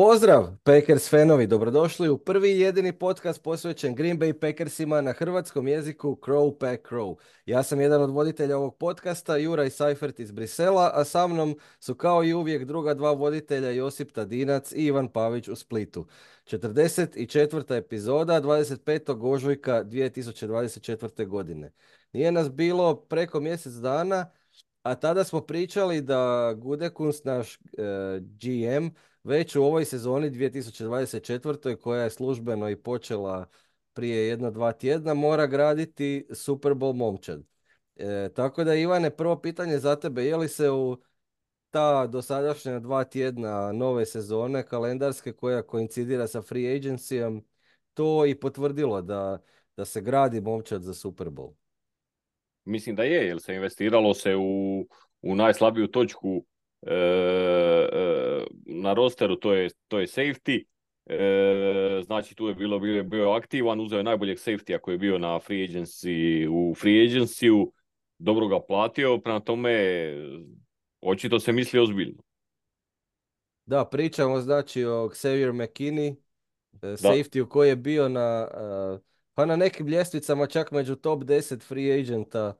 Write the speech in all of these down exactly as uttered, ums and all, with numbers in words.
Pozdrav, Packers fanovi, dobrodošli u prvi i jedini podcast posvećen Green Bay Packersima na hrvatskom jeziku Crow Pack Crow. Ja sam jedan od voditelja ovog podcasta, Juraj Seifert iz Brisela, a sa mnom su kao i uvijek druga dva voditelja Josip Tadinac i Ivan Pavić u Splitu. četrdeset četvrta epizoda, dvadeset petog ožujka dvije tisuće dvadeset četvrte. godine. Nije nas bilo preko mjesec dana, a tada smo pričali da Gutekunst, naš e, G M, već u ovoj sezoni dvije tisuće dvadeset četvrtoj. koja je službeno i počela prije jedno dva tjedna, mora graditi Super Bowl momčad. E, tako da, Ivane, prvo pitanje za tebe, je li se u ta dosadašnja dva tjedna nove sezone kalendarske koja koincidira sa free agencyjem to i potvrdilo da, da se gradi momčad za Super Bowl? Mislim da je, jer se investiralo se u, u najslabiju točku e, e, na rosteru, to je, to je safety. E, znači tu je bilo, bio, bio aktivan, uzeo je najboljeg safety koji je bio na free agency, u free agency-u, dobro ga platio, prema tome očito se misli ozbiljno. Da, pričamo znači o Xavier McKinney, e, Da, safety koji je bio na, e, pa na nekim ljestvicama čak među top deset free agenta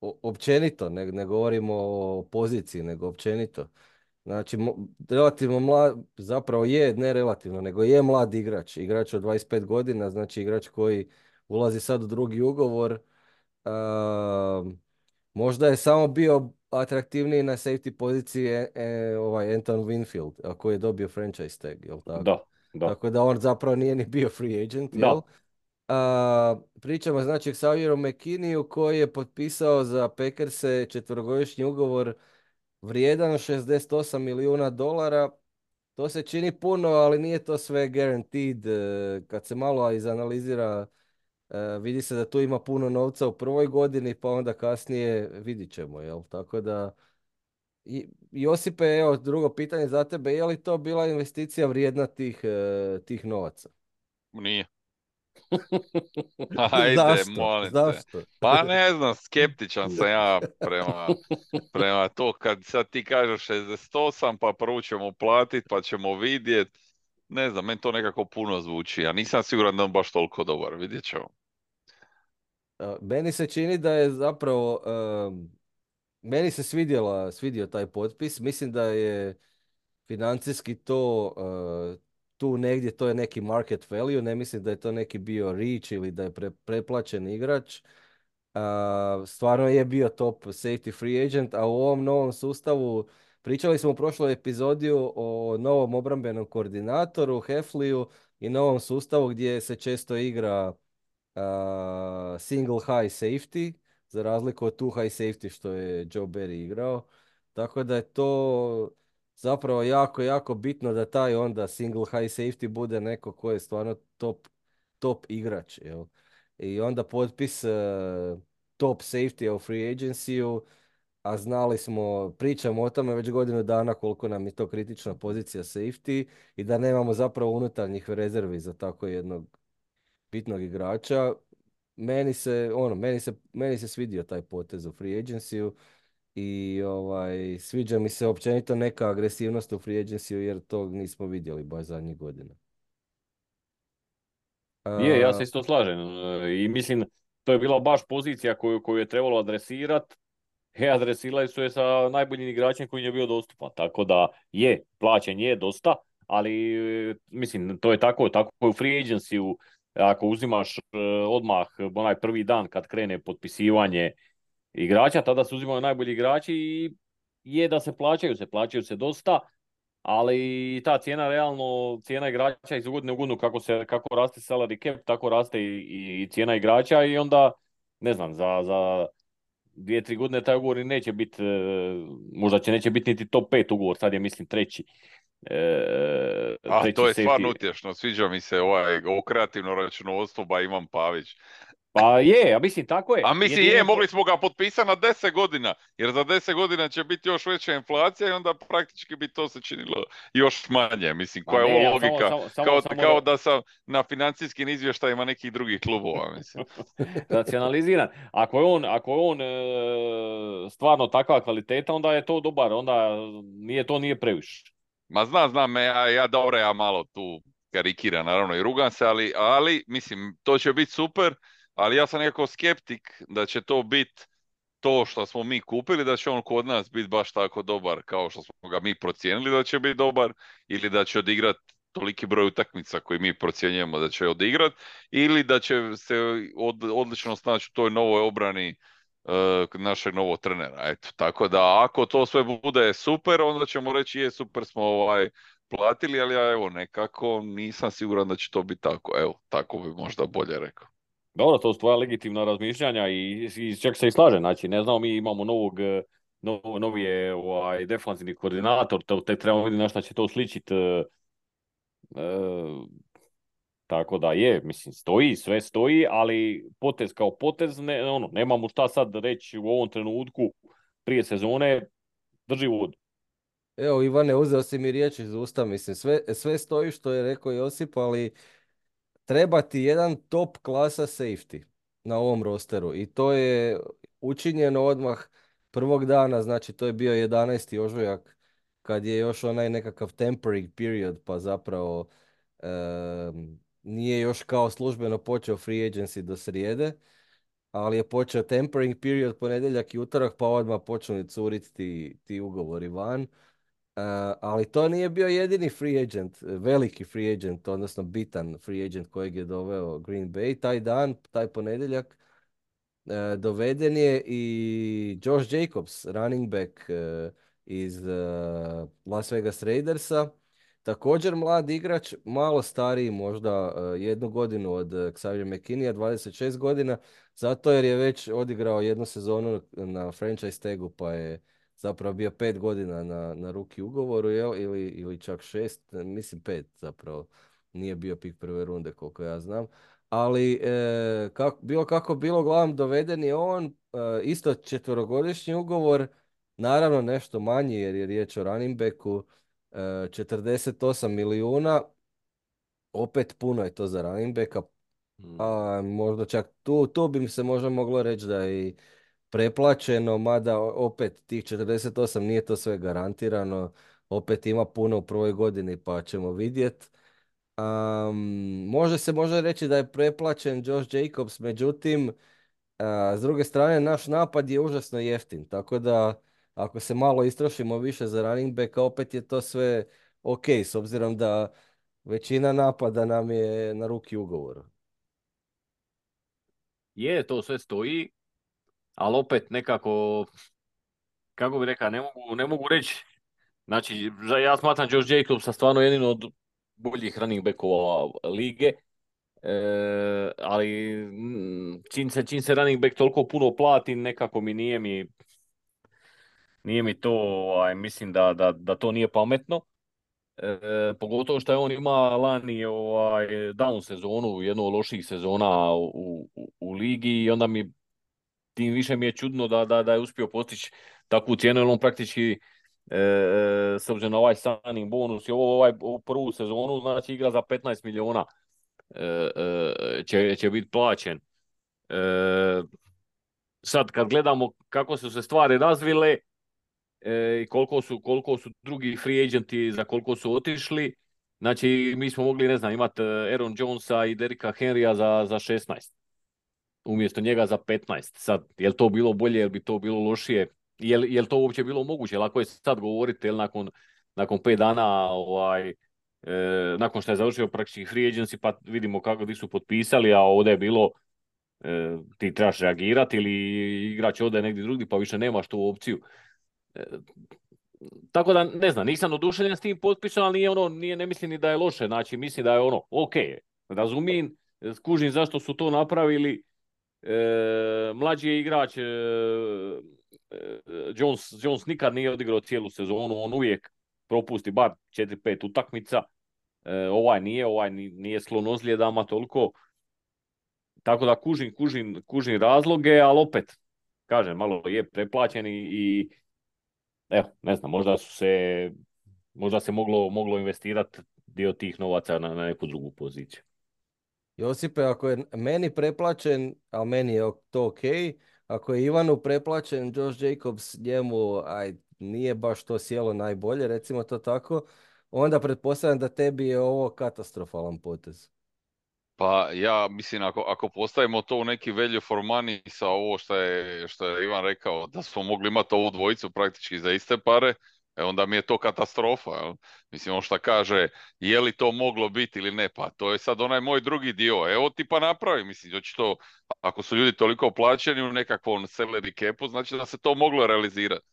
o- općenito, ne, ne govorimo o poziciji, nego općenito. Znači, mo- relativno mlad, zapravo je, ne relativno, nego je mlad igrač. Igrač od dvadeset pet godina, znači igrač koji ulazi sad u drugi ugovor. A, možda je samo bio atraktivniji na safety poziciji e, e, ovaj Anton Winfield, a koji je dobio franchise tag, jel tako? da, da, Tako da on zapravo nije ni bio free agent, jel? da. A, pričamo znači o Xavieru McKinneyu koji je potpisao za Packerse četverogodišnji ugovor vrijedan šezdeset osam milijuna dolara. To se čini puno, ali nije to sve guaranteed. E, Kad se malo izanalizira, e, vidi se da tu ima puno novca u prvoj godini, pa onda kasnije vidit ćemo, jel? Tako da, i, Josipe, evo drugo pitanje za tebe, je li to bila investicija vrijedna tih, e, tih novaca? Nije. Ajde, Zašto? molim te. Zašto? Pa ne znam, skeptičan sam ja prema, prema to kad sad ti kažeš šezdeset osam pa prvo ćemo platit pa ćemo vidjet. Ne znam, meni to nekako puno zvuči. Ja nisam siguran da je on baš toliko dobar, vidjet ćemo. A, Meni se čini da je zapravo, em, meni se svidjela, svidio taj potpis. Mislim da je financijski to, e, tu negdje, to je neki market value. Ne mislim da je to neki bio reach ili da je pre, preplaćen igrač. A, stvarno je bio top safety free agent, a u ovom novom sustavu pričali smo u prošloj epizodi o novom obrambenom koordinatoru, Hefliju, i novom sustavu gdje se često igra a, single high safety, za razliku od two high safety što je Joe Barry igrao. Tako da je to zapravo jako, jako bitno da taj onda single high safety bude neko ko je stvarno top, top igrač. Jel? I onda potpis e, top safety u free agency-u, a znali smo, pričamo o tome već godinu dana koliko nam je to kritična pozicija safety i da nemamo zapravo unutarnjih rezervi za tako jednog bitnog igrača. Meni se, ono, meni se, meni se svidio taj potez u free agency-u i ovaj, sviđa mi se općenito neka agresivnost u free agency-u jer to nismo vidjeli baš zadnjih godina. Je, ja A, se isto slažem e, i mislim to je bila baš pozicija koju, koju je trebalo adresirati. He, adresirali su je sa najboljim igračem koji je bio dostupan. Tako da je, plaćen je dosta, ali e, mislim, to je tako, tako je u free agency-u. Ako uzimaš e, odmah onaj prvi dan kad krene potpisivanje igrača, tada se uzimaju najbolji igrači i je da se plaćaju, se plaćaju se dosta, ali ta cijena realno, cijena igrača iz godine u godinu, kako, se, kako raste salary cap, tako raste i, i cijena igrača i onda, ne znam, za, za dvije, tri godine taj ugovor i neće biti, e, možda će neće biti niti top pet ugovor, sad je mislim treći, e, A treći to je stvarno safety. utješno, sviđa mi se ovaj, ovo kreativno računovodstvo, ba Ivan Pavić. Pa je, ja mislim tako je. A mislim je, Jedino pro- mogli smo ga potpisati na deset godina, jer za deset godina će biti još veća inflacija i onda praktički bi to se činilo još manje. Mislim, Pa koja je ne, ovo ali samo, logika? samo, samo, Kao, samo da, kao da sam na financijskim izvještajima nekih drugih klubova, mislim. racionaliziran. Ako je on, ako je on e, stvarno takva kvaliteta, onda je to dobar, onda nije to nije previše. Ma znam, znam, ja, ja dobro, ja malo tu karikiram, naravno, i rugam se, ali, ali, mislim, to će biti super, ali ja sam nekako skeptik da će to biti to što smo mi kupili, da će on kod nas biti baš tako dobar kao što smo ga mi procijenili da će biti dobar, ili da će odigrat toliki broj utakmica koji mi procjenjujemo da će odigrat, ili da će se od, odlično snaći u toj novoj obrani uh, našeg novog trenera. Eto, tako da ako to sve bude super, onda ćemo reći je super smo ovaj platili, ali ja evo nekako nisam siguran da će to biti tako. Evo, tako bi možda bolje rekao. Dobro, to su tvoja legitimna razmišljanja i, i čak se i slaže. Znači, ne znamo, mi imamo novog, eh, nov, novi je ovaj, defanzivni koordinator, to, te trebamo vidjeti na šta će to sličiti. E, tako da je, mislim, stoji, sve stoji, ali potez kao potez, ne, ono, nemamo šta sad reći u ovom trenutku prije sezone, drži vodu. Evo, Ivane, uzeo si mi riječ iz usta, mislim, sve, sve stoji što je rekao Josip, ali treba ti jedan top klasa safety na ovom rosteru i to je učinjeno odmah prvog dana, znači to je bio jedanaesti ožujak kad je još onaj nekakav temporary period, pa zapravo em, nije još kao službeno počeo free agency do srijede, ali je počeo tempering period ponedjeljak i utorak, pa odmah počeli curiti ti, ti ugovori van. Uh, ali to nije bio jedini free agent, veliki free agent, odnosno bitan free agent kojeg je doveo Green Bay. Taj dan, taj ponedjeljak, uh, doveden je i Josh Jacobs, running back uh, iz uh, Las Vegas Raidersa. Također mlad igrač, malo stariji možda uh, jednu godinu od uh, Xavier McKinney, dvadeset šest godina, zato jer je već odigrao jednu sezonu na franchise tagu, pa je zapravo bio pet godina na, na ruki ugovoru, jel? Ili, ili čak šest, mislim pet zapravo. Nije bio pik prve runde, koliko ja znam. Ali e, kak, bilo kako bilo, uglavnom doveden je on, e, isto četverogodišnji ugovor, naravno nešto manji jer je riječ o running backu, e, četrdeset osam milijuna, opet puno je to za running backa, a možda čak tu, tu bi se možda moglo reći da je i preplaćeno, mada opet tih četrdeset osam nije to sve garantirano, opet ima puno u prvoj godini pa ćemo vidjeti. Um, može se može reći da je preplaćen Josh Jacobs, međutim, a, s druge strane naš napad je užasno jeftin, tako da ako se malo istrošimo više za running backa, opet je to sve ok, s obzirom da većina napada nam je na ruki ugovor. Je, to sve stoji, ali opet nekako, kako bi rekao, ne mogu, ne mogu reći. Znači, ja smatram Josh Jacobsa stvarno jedino od boljih running backova lige, e, ali mm, čim se, čim se running back toliko puno plati, nekako mi nije mi, nije mi to, ovaj, mislim da, da, da to nije pametno. E, pogotovo što je on ima lani ovaj, down sezonu, jednu od loših sezona u, u, u ligi i onda mi tim više mi je čudno da, da, da je uspio postići takvu cijenu, jer on praktički e, e, s obzirom na ovaj signing bonus i ovo, ovaj, ovu prvu sezonu, znači igra za petnaest milijuna e, e, će, će biti plaćen. E, sad kad gledamo kako su se stvari razvile e, i koliko su, koliko su drugi free agenti za koliko su otišli, znači mi smo mogli, ne znam, imati Aaron Jonesa i Derricka Henrya za, za šesnaest. Umjesto njega za petnaest. Sad, je li to bilo bolje, je li bi to bilo lošije? Je li, je li to uopće bilo moguće? Lako je sad govoriti, jel nakon, nakon pet dana, ovaj, e, nakon što je završio praktički free agency, pa vidimo kako di su potpisali, a ovdje je bilo e, ti trebaš reagirati ili igrač ode negdje drugdje, pa više nemaš tu opciju. E, tako da, ne znam, nisam oduševljen s tim potpisom, ali nije ono, nije, ne mislim ni da je loše, znači mislim da je ono, ok, razumijem, skužim zašto su to napravili. E, mlađi je igrač, e, e, Jones, Jones nikad nije odigrao cijelu sezonu, on uvijek propusti bar četiri pet utakmica, e, ovaj nije, ovaj nije slon ozljedama toliko, tako da kužim, kužim, kužim razloge, ali opet, kažem, malo je preplaćen i, i evo, ne znam, možda su se, možda se moglo, moglo investirati dio tih novaca na, na neku drugu poziciju. Josipe, ako je meni preplaćen, a meni je to ok, ako je Ivanu preplaćen Josh Jacobs, njemu aj, nije baš to sjelo najbolje, recimo to tako, onda pretpostavljam da tebi je ovo katastrofalan potez. Pa ja mislim ako, ako postavimo to u neki value for money sa ovo što je, što je Ivan rekao, da smo mogli imati ovu dvojicu praktički za iste pare, e onda mi je to katastrofa. Jel? Mislim, on šta kaže, je li to moglo biti ili ne, pa to je sad onaj moj drugi dio. Evo ti pa napravi, mislim, očito, ako su ljudi toliko plaćeni u nekakvom salary capu, znači da se to moglo realizirati.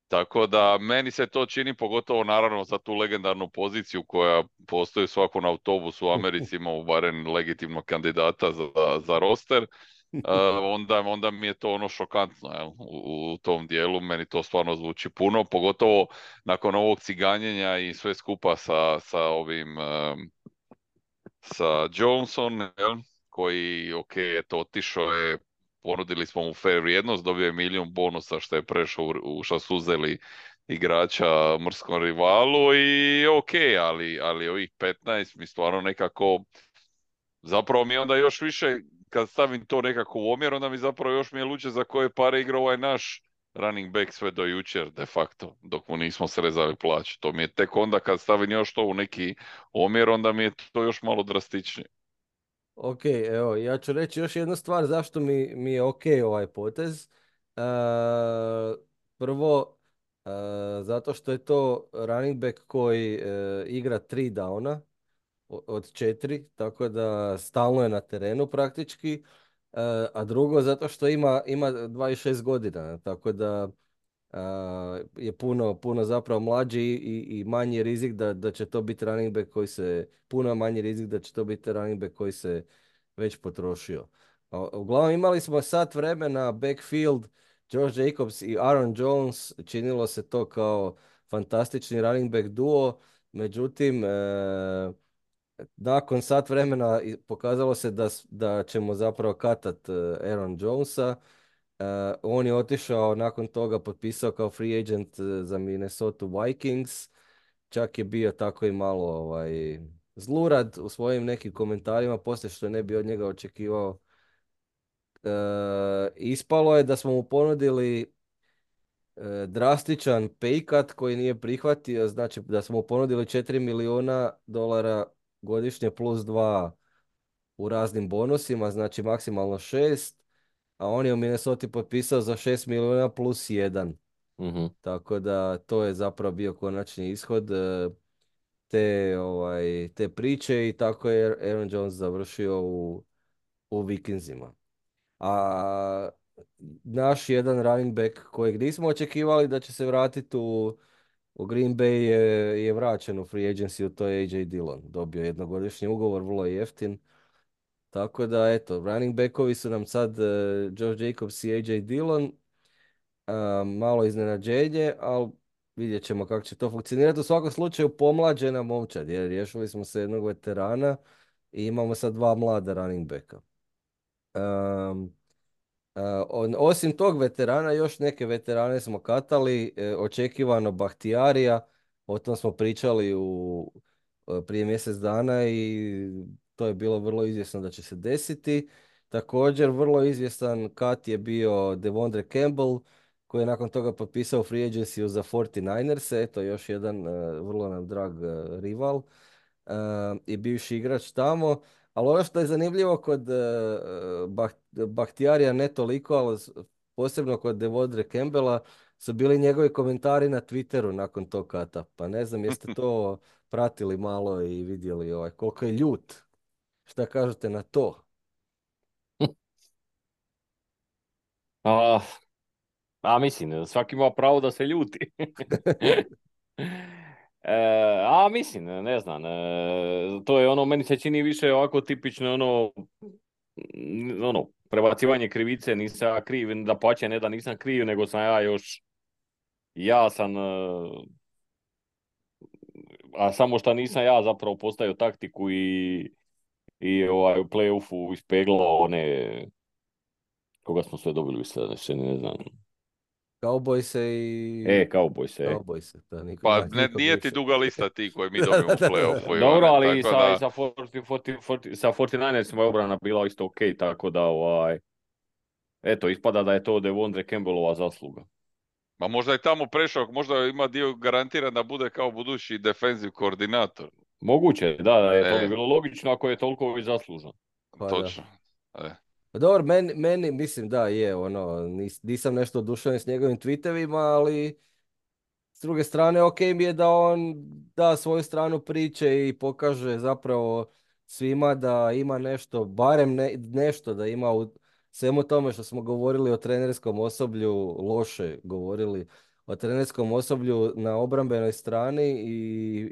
Tako da meni se to čini, pogotovo naravno za tu legendarnu poziciju koja postoji u svakom autobusu u Americi, imamo barem legitimnog kandidata za, za roster, uh, onda, onda mi je to ono šokantno jel? U, u tom dijelu, meni to stvarno zvuči puno, pogotovo nakon ovog ciganjenja i sve skupa sa, sa ovim um, sa Johnson, jel? Koji, ok, eto, otišao je, ponudili smo mu fair vrijednost, dobio je milijun bonusa što je prešao u, u šta su uzeli igrača mrskom rivalu i ok, ali, ali ovih petnaest mi stvarno nekako, zapravo mi onda još više, kad stavim to nekako u omjer, onda mi zapravo još mi je luče za koje pare igra ovaj naš running back sve do jučer, de facto, dok mu nismo srezali plaću. To mi je tek onda kad stavim još to u neki omjer, onda mi je to još malo drastičnije. Ok, evo, ja ću reći još jednu stvar zašto mi, mi je ok ovaj potez. E, prvo, e, zato što je to running back koji e, igra tri downa o- od četiri, tako da stalno je na terenu praktički. E, a drugo, zato što ima, ima dvadeset šest godina, tako da a, je puno, puno zapravo mlađi i, i manji rizik da, da će to biti running back koji se, puno manji rizik da će to biti running back koji se već potrošio. A, uglavnom imali smo sat vremena, backfield, Josh Jacobs i Aaron Jones, činilo se to kao fantastični running back duo, međutim, e, nakon sat vremena i- pokazalo se da, s- da ćemo zapravo katat e, Aaron Jonesa. E, on je otišao nakon toga, potpisao kao free agent e, za Minnesota Vikings. Čak je bio tako i malo ovaj, zlurad u svojim nekim komentarima, poslije što ne bi od njega očekivao. E, ispalo je da smo mu ponudili e, drastičan pay cut koji nije prihvatio, znači da smo mu ponudili četiri milijuna dolara godišnje plus dva u raznim bonusima, znači maksimalno šest, a on je u Minnesota potpisao za šest milijuna plus jedan. Mhm. Tako da to je zapravo bio konačni ishod e, te, ovaj, te priče i tako je Aaron Jones završio u, u Vikingsima. A naš jedan running back kojeg nismo očekivali da će se vratiti u, u Green Bay je, je vraćen u free agency, to je A J Dillon. Dobio je jednogodišnji ugovor, vrlo jeftin. Tako da, eto, running backovi su nam sad uh, Josh Jacobs i A J Dillon. A, malo iznenađenje, ali vidjet ćemo kako će to funkcionirati. U svakom slučaju pomlađena momčad, jer riješili smo se jednog veterana i imamo sad dva mlada running backa. Um, a, on- osim tog veterana, još neke veterane smo katali, e, očekivano Bahtijarija, o tom smo pričali u, e, prije mjesec dana i to je bilo vrlo izvjesno da će se desiti. Također, vrlo izvjestan kat je bio Devondre Campbell, koji je nakon toga potpisao free agency za četrdeset devetoro, eto još jedan e, vrlo nam drag e, rival e, i bivši igrač tamo. Ali ono što je zanimljivo kod e, Bah- Bahtijarija ne toliko, ali s- posebno kod Devondre Campbella su bili njegovi komentari na Twitteru nakon tog kata. Pa ne znam jeste to pratili malo i vidjeli ovaj, koliko je ljut. Šta kažete na to? A, a mislim, svaki ima pravo da se ljuti. E, a mislim, ne znam, e, to je ono, meni se čini više ovako tipično ono, mm, ono, prebacivanje krivice, nisam ja kriv, da pače ne da nisam kriv, nego sam ja još, ja sam, e, a samo što nisam ja zapravo postavio taktiku i, i ovaj, u play-offu ispeglao one, koga smo sve dobili sad, ne, ne znam, Cowboyse i... e, Cowboys, Cowboyse, da, niko, Pa na, ne, nikog nije ti više. duga lista ti koji mi Da, dobijemo da, u da, da, play-offu, da. dobro, Ivane, ali i tako sa, i da... sa, četrdeset, četrdeset, četrdeset, sa četrdeset je obrana bila isto ok, tako da ovaj, eto, ispada da je to Devondre Campbellova zasluga. Ma možda je tamo prešao, možda ima dio garantiran da bude kao budući defensive koordinator. Moguće, da, da je to bi E, bilo logično ako je toliko i zaslužan. Pa da. točno. E. Pa dobro, meni, meni, mislim da je, ono, nis- nisam nešto oduševljen s njegovim tweetovima, ali s druge strane, ok mi je da on da svoju stranu priče i pokaže zapravo svima da ima nešto, barem ne- nešto da ima u svemu tome što smo govorili o trenerskom osoblju, loše govorili o trenerskom osoblju na obrambenoj strani i,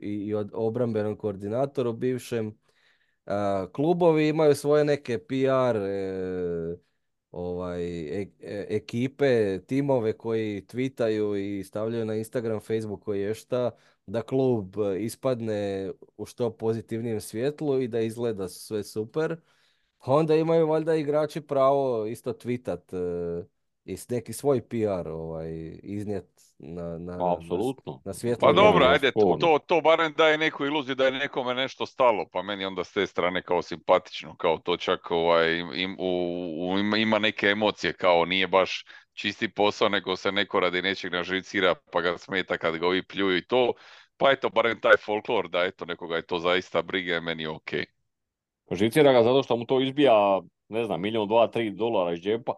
i, i o obrambenom koordinatoru bivšem. A, klubovi imaju svoje neke P R e, ovaj, e- e- ekipe, timove koji tweetaju i stavljaju na Instagram, Facebook koji je šta, da klub e, ispadne u što pozitivnijem svjetlu i da izgleda sve super. Pa onda imaju valjda igrači pravo isto tweetat e, i s neki svoj P R ovaj, iznijet na, na, Pa, na, s- apsolutno. na Pa svjetlo To dobro, dan. nije ajde, to, sporno. to, to barem daje neku iluziju da je nekome nešto stalo, pa meni onda s te strane kao simpatično, kao to čak ovaj, im, u, u- ima ima neke emocije, kao nije baš čisti posao, nego se neko radi nečeg naživcira pa ga smeta kad ga ovi pljuju i to, pa eto, barem taj folklor da eto, nekoga je to zaista briga je meni ok. Živcira ga zato što mu to izbija, ne znam, milijon, dva, tri dolara iz džepa.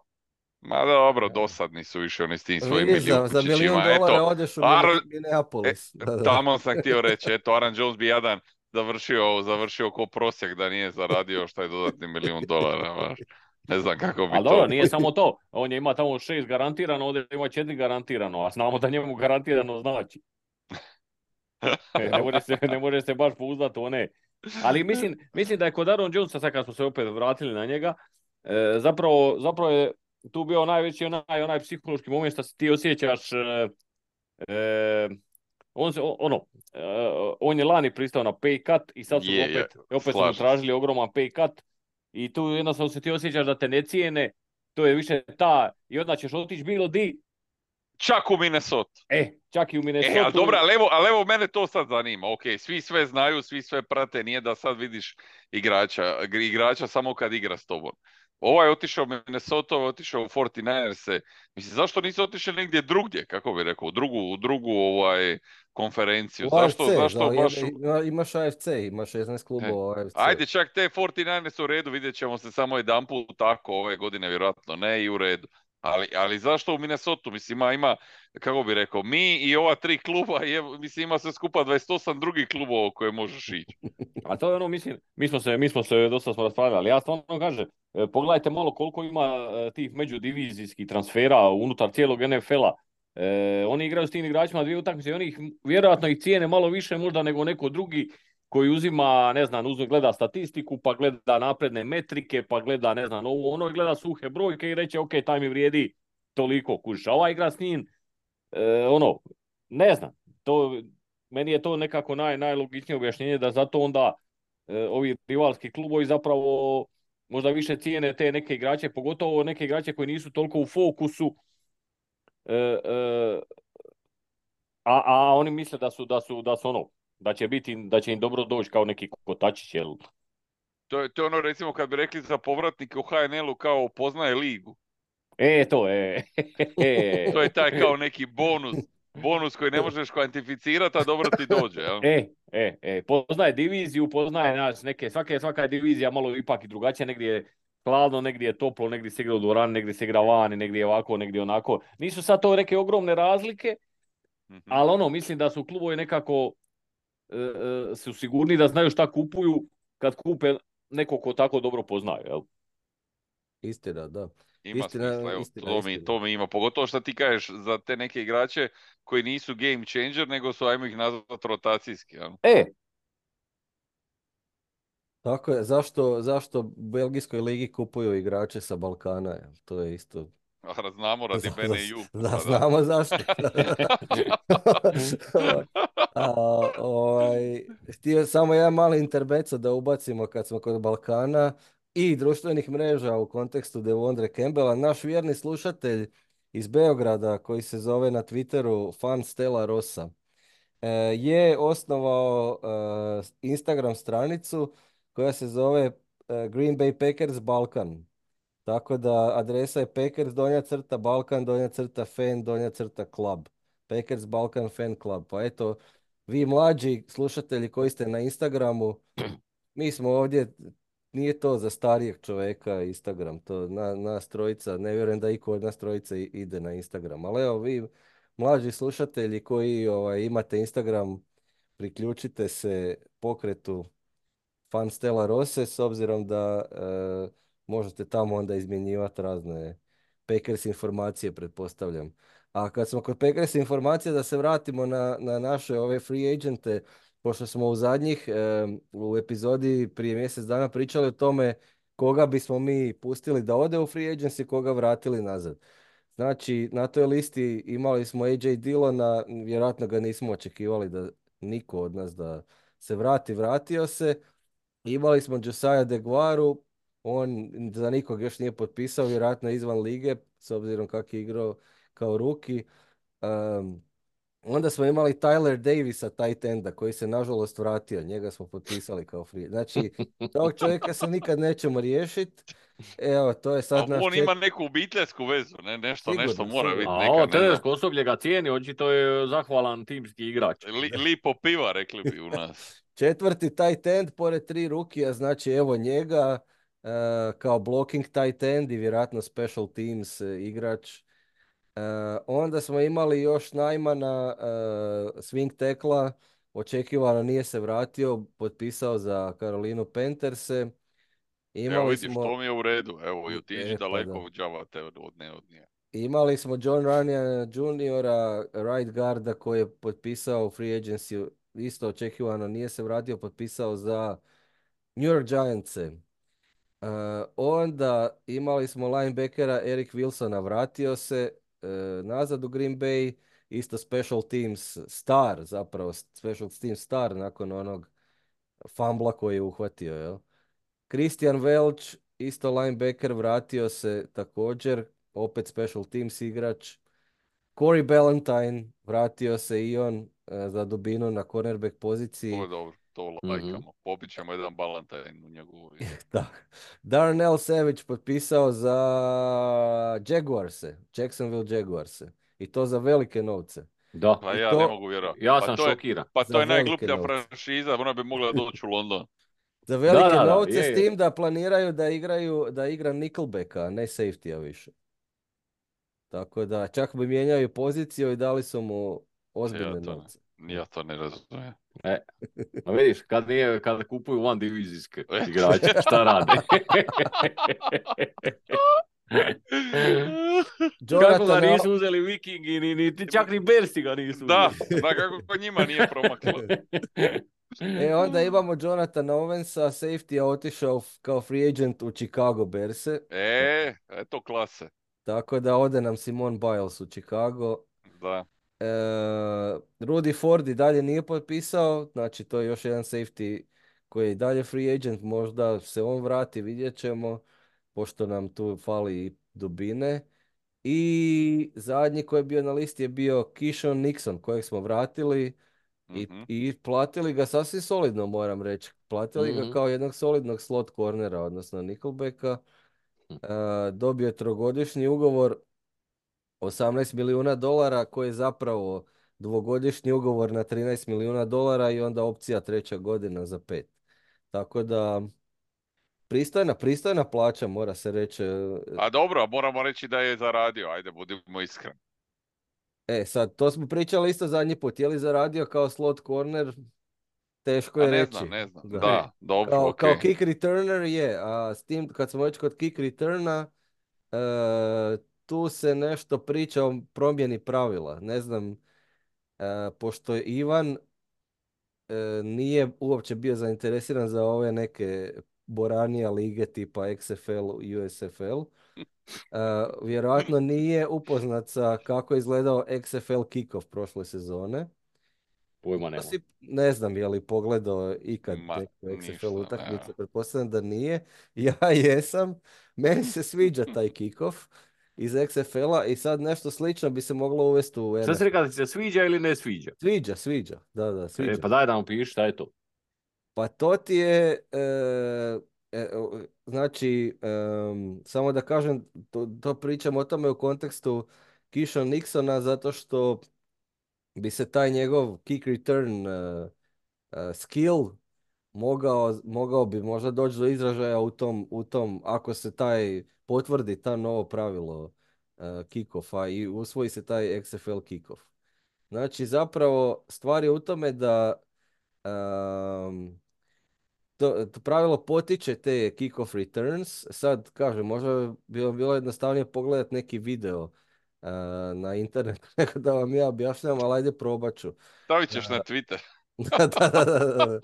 Ma dobro, dosadni su više oni s tim svojim Vidiš, za, za milijun milijunčićima, eto, dolara odeš u Ar, Mine- E, Minneapolis. Da, da. tamo sam htio reći, eto, Aaron Jones bi jadan završio, završio ko prosjek da nije zaradio šta je dodatni milijun dolara, baš. Ne znam kako bi Ali dobro, to... nije samo to. On je ima tamo šest garantirano, ovdje ima četiri garantirano, a znamo da njemu garantirano znači. Ne može se, ne može se baš pouzdati u one. Ali mislim, mislim da je kod Aaron Jonesa, sad kad smo se opet vratili na njega, e, zapravo, zapravo je tu bio najveći onaj, onaj psihološki moment što se ti osjećaš, e, e, on, se, ono, e, on je lani pristao na pay cut i sad su ga Je, je, opet, opet su mu slažem se. tražili ogroman pay cut i tu jednostavno se ti osjećaš da te ne cijene, to je više ta, i onda ćeš otići bilo di, Čak u Minnesota. e, čak i u E, ali Minnesota. dobro, ali evo, ali evo mene to sad zanima. Ok, svi sve znaju, svi sve prate, nije da sad vidiš igrača, igrača samo kad igra s tobom. Ovaj je otišao u Minnesota, ovaj je otišao u forty-niners-e. Mislim, zašto nisu otišli negdje drugdje, kako bi rekao, u drugu, u drugu ovaj, konferenciju? U Zašto, A F C, zašto za, baš... jedne- ima- imaš A F C, imaš šesnaest E, klubova A F C. ajde, čak te forty-niners u redu, vidjet ćemo se samo jedan put tako ove godine, vjerojatno ne i u redu. Ali, ali zašto u Minnesota? Mislim, ima, ima, kako bi rekao, mi i ova tri kluba, je, mislim, ima sve skupa dvadeset osam drugih klubova u koje možeš ići. A to je ono, mislim, mi smo se, mi smo se dosta smo raspravljali. Ja stvarno kažem, e, pogledajte malo koliko ima e, tih međudivizijskih transfera unutar cijelog N F L-a. E, oni igraju s tim igračima dvije utakmice i oni ih, vjerojatno ih cijene malo više možda nego neko drugi koji uzima, ne znam, uzme, gleda statistiku, pa gleda napredne metrike, pa gleda, ne znam, ovo, ono i gleda suhe brojke i reće, ok, taj mi vrijedi toliko, kužiš. A ovaj igra s njim, e, ono, ne znam, to, meni je to nekako naj, najlogičnije objašnjenje da zato onda e, ovi rivalski klubovi zapravo možda više cijene te neke igrače, pogotovo neke igrače koji nisu toliko u fokusu, e, e, a, a oni misle da su, da su, da su ono, da će biti, da će im dobro doći kao neki kotačić, jel? To je, to je ono, recimo, kad bi rekli za povratnike u H N L-u kao poznaje ligu. E, to je. To je taj kao neki bonus, bonus koji ne možeš kvantificirati, a dobro ti dođe, jel? E, e, e, poznaje diviziju, poznaje nas neke, svake, svaka je divizija malo ipak i drugačija, negdje je hladno, negdje je toplo, negdje se igra u dvorani, negdje se igra vani, negdje je ovako, negdje onako. Nisu sad to neke ogromne razlike, Mhm. ali ono, mislim da su klubovi nekako e, e, su sigurni da znaju šta kupuju kad kupe nekog ko tako dobro poznaje, jel? Istina, da. Ima Istina, smisla, evo, istina, to mi, istina. to mi ima. Pogotovo što ti kažeš za te neke igrače koji nisu game changer, nego su, ajmo ih nazvati, rotacijski. Jel? E, Tako je, zašto, zašto u Belgijskoj ligi kupuju igrače sa Balkana? Jel? To je isto... A znamo radi Za- Bene za- Ju. da, Pa da. znamo zašto. A, ovaj, htio samo jedan mali intermezzo da ubacimo kad smo kod Balkana i društvenih mreža u kontekstu Devondre Campbella. Naš vjerni slušatelj iz Beograda koji se zove na Twitteru Fan Stella Rosa e, je osnovao e, Instagram stranicu koja se zove e, Green Bay Packers Balkan. Tako da adresa je Packers donja crta Balkan donja crta fan donja crta club. Packers Balkan fan club. Pa eto, vi mlađi slušatelji koji ste na Instagramu, mi smo ovdje, nije to za starijeg čovjeka Instagram, to na, nas trojica, ne vjerujem da iko od nas trojica i- ide na Instagram. Ali evo vi mlađi slušatelji koji ovaj, imate Instagram, priključite se pokretu fan Stella Rose s obzirom da e, možete tamo onda izmjenjivati razne Packers informacije, pretpostavljam. A kad smo kod Packers informacija, da se vratimo na, na naše ove free agente, pošto smo u zadnjih, e, u epizodi prije mjesec dana pričali o tome koga bismo mi pustili da ode u free agency, koga vratili nazad. Znači, na toj listi imali smo A J Dillona, vjerojatno ga nismo očekivali da niko od nas da se vrati, vratio se. Imali smo Josiah DeGuaru, on za nikog još nije potpisao, vjerojatno je izvan lige, s obzirom kako je igrao kao ruki. Um, onda smo imali Tyler Davisa, tight enda, koji se nažalost vratio, njega smo potpisali kao free. Znači, tog čovjeka se nikad nećemo riješiti. Evo, to je A sad naš on čet... ima neku obiteljsku vezu, ne? Nešto, nešto Sigurno, mora sigurno. biti, A neka, ovo ne znam, trenersko osoblje ga cijeni, očito je zahvalan timski igrač. li, lipo piva, rekli bi u nas. Četvrti tight end, pored tri rukija, znači evo njega e, kao blocking tight end i vjerojatno special teams e, igrač. E, onda smo imali još Najmana, e, swing tekla, očekivano nije se vratio, potpisao za Carolinu Pantherse. Evo Imali vidiš, smo, to mi je u redu. Evo, i otiđi e, pa da. daleko od džavate od, od ne od nje. Imali smo John Runyan juniora, right guarda koji je potpisao free agency, isto očekivano nije se vratio, potpisao za New York Giantse. Uh, onda imali smo linebackera Eric Wilsona, vratio se uh, nazad u Green Bay, isto special teams star, zapravo special teams star nakon onog fumbla koji je uhvatio, jel? Christian Welch, isto linebacker, vratio se također, opet special teams igrač. Corey Ballantyne, vratio se i on uh, za dubinu na cornerback To poziciji. je dobro, to Mhm. lajkamo. Popit ćemo jedan balantajn u njegovu ime. Da. Darnell Savage potpisao za Jaguarse, Jacksonville Jaguarse. I to za velike novce. Da, Pa I ja ne to mogu vjerovati. ja Pa sam to je, šokiran. pa za to je velike najgluplja novce. franšiza, ona bi mogla doći u London. Za Da, velike da, da, novce je, s je. tim da planiraju da igraju, da igra Nickelbacka, a ne safety-a više. Tako da čak bi mijenjaju poziciju i dali su mu Ja ozbiljne to, novce. ne, ja to ne razumijem. E, a vidiš, kad, nije, kad kupuju van divizijske igrače, šta rade? Kako ga Jonathan, nisu uzeli Vikingi, ni, ni, čak ni Bersi ga nisu Da, uzeli. da kako njima nije promaklo. E, onda imamo Jonathan Owensa, safety-a, otišao f- kao free agent u Chicago Bearse. E, eto klase. Tako da ode nam Simon Biles u Chicago. Da. E, Rudy Ford i dalje nije potpisao, znači to je još jedan safety koji je i dalje free agent, možda se on vrati, vidjet ćemo, pošto nam tu fali i dubine. I zadnji koji je bio na listi je bio Keyshawn Nixon, kojeg smo vratili i, Mhm. i platili ga sasvim solidno, moram reći. Platili ga Mhm. kao jednog solidnog slot cornera, odnosno Nickelbacka. E, dobio je trogodišnji ugovor, osamnaest milijuna dolara, koji je zapravo dvogodišnji ugovor na trinaest milijuna dolara i onda opcija treća godina za pet. Tako da, pristojna, pristojna plaća, mora se reći. A dobro, moramo reći da je zaradio, ajde, budimo iskreni. E, sad, to smo pričali isto zadnji put. Je li zaradio kao slot corner? Teško A je ne reći. znam, ne znam. Da. Da, dobro, Kao, ok. kao kick returner je, a s tim kad smo već kod kick returna, e, tu se nešto priča o promjeni pravila. Ne znam, e, pošto je Ivan e, nije uopće bio zainteresiran za ove neke boranija lige tipa X F L, U S F L. E, vjerojatno nije upoznat sa kako je izgledao X F L kickoff prošle sezone. Pojma To nema. si, ne znam je li pogledao ikad Ma, neku X F L ništa, utakmicu, ne. pretpostavljam da nije. Ja jesam, meni se sviđa taj kickoff iz X F L-a i sad nešto slično bi se moglo uvesti u Šta si N F L. rekao da ti se sviđa ili ne sviđa? Sviđa, sviđa, da, da, E, sviđa. pa daj da mu piši šta je to. Pa to ti je, e, E, o- znači, em, samo da kažem, to, to pričam o tome u kontekstu Keyshawn Nixona, zato što bi se taj njegov kick return uh, uh, skill mogao, mogao bi možda doći do izražaja u tom, u tom, ako se taj potvrdi ta novo pravilo uh, kick-offa i usvoji se taj X F L kick-off. Znači, zapravo, stvar je u tome da um, to, to pravilo potiče te kick-off returns. Sad, kažem, možda bi vam bilo jednostavnije pogledati neki video uh, na internetu, nego da vam ja objašnjam, ali ajde probat ću. Stavit Uh, ćeš na Twitter. da, da, da, da, da.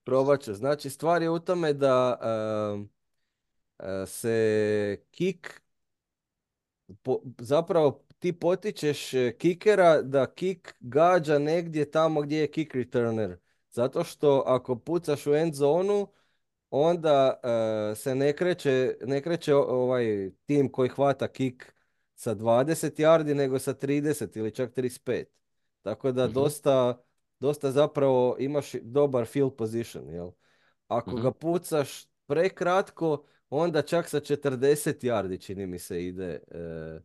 Probat ću. Znači, stvar je u tome da um, uh, se kick, po, zapravo ti potičeš e, kikera da kik gađa negdje tamo gdje je kick returner. Zato što ako pucaš u end zonu, onda e, se ne kreće, ne kreće o- ovaj tim koji hvata kik sa dvadeset yardi, nego sa trideset ili čak trideset pet. Tako da Mhm, dosta, dosta zapravo imaš dobar field position, jel? Ako mhm. ga pucaš prekratko, onda čak sa četrdeset yardi, čini mi se, ide, e,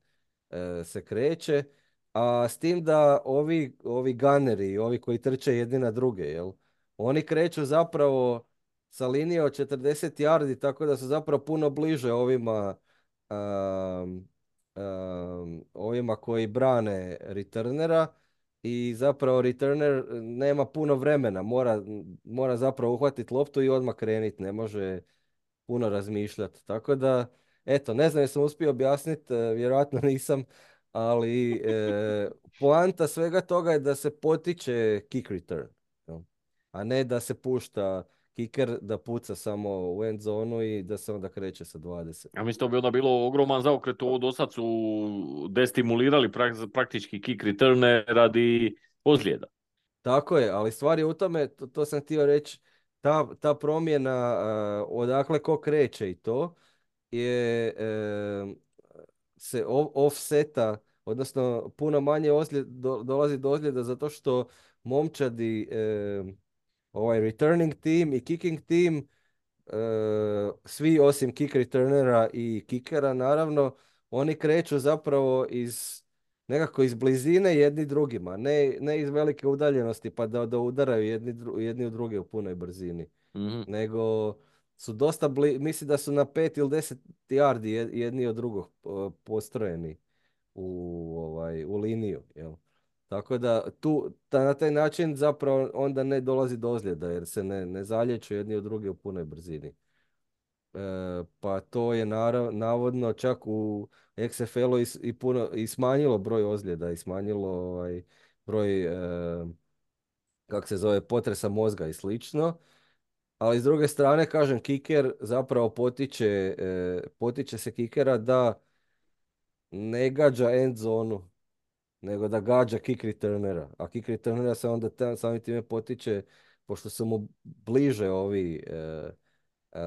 e, se kreće. A s tim da ovi, ovi gunneri, ovi koji trče jedni na druge, jel? Oni kreću zapravo sa linije od četrdeset yardi, tako da su zapravo puno bliže ovima, um, um, ovima koji brane returnera i zapravo returner nema puno vremena, mora, mora zapravo uhvatiti loptu i odmah krenuti, ne može puno razmišljati. Tako da, eto, ne znam jesam uspio objasniti, e, vjerojatno nisam, ali e, poanta svega toga je da se potiče kick return, jel? A ne da se pušta kicker da puca samo u end zonu i da se onda kreće sa dvadeset. Ja mislim da bi onda bilo ogroman zaokret, ovo do sad su destimulirali prak- praktički kick returne radi ozljeda. Tako je, ali stvar je u tome, to, to sam htio reći, ta, ta promjena a, odakle ko kreće i to je e, se o- offseta, odnosno puno manje ozljed, do- dolazi do ozljeda zato što momčadi, e, ovaj returning team i kicking team, e, svi osim kick returnera i kickera naravno, oni kreću zapravo iz nekako iz blizine jedni drugima, ne, ne iz velike udaljenosti pa da, da udaraju jedni, dru- jedni u druge u punoj brzini, Mhm. nego su dosta bli, mislim da su na pet ili deset yardi jed- jedni od drugog e, postrojeni u, ovaj, u liniju, jel? Tako da tu, ta, na taj način zapravo onda ne dolazi do ozljeda jer se ne, ne zalječu jedni od druge u punoj brzini. E, pa to je narav, navodno čak u X F L-u i, s- i puno i smanjilo broj ozljeda i smanjilo ovaj, broj e, kak se zove potresa mozga i slično. Ali s druge strane, kažem, kiker zapravo potiče, e, potiče se kikera da ne gađa end zonu, nego da gađa kick returnera. A kick returnera se onda ta- samim time potiče, pošto su mu bliže ovi e, e,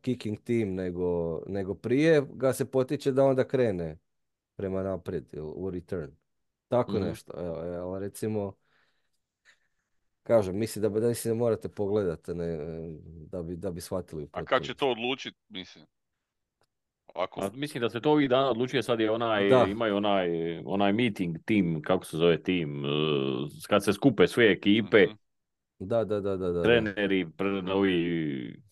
kicking team nego, nego prije, ga se potiče da onda krene prema naprijed ili u return. Tako Mhm. nešto. Evo, evo, recimo, kažem, mislim da, da, mislim da morate pogledati ne, da bi, da bi shvatili u A kad će to potpunosti. odlučiti, mislim? Ako... A mislim da se to ovih dana odlučuje, sad je onaj, Da, imaju onaj, onaj meeting, tim, kako se zove tim, eh, kad se skupe sve ekipe, Mhm. da, da, da, da, da, da. treneri, pr- ovi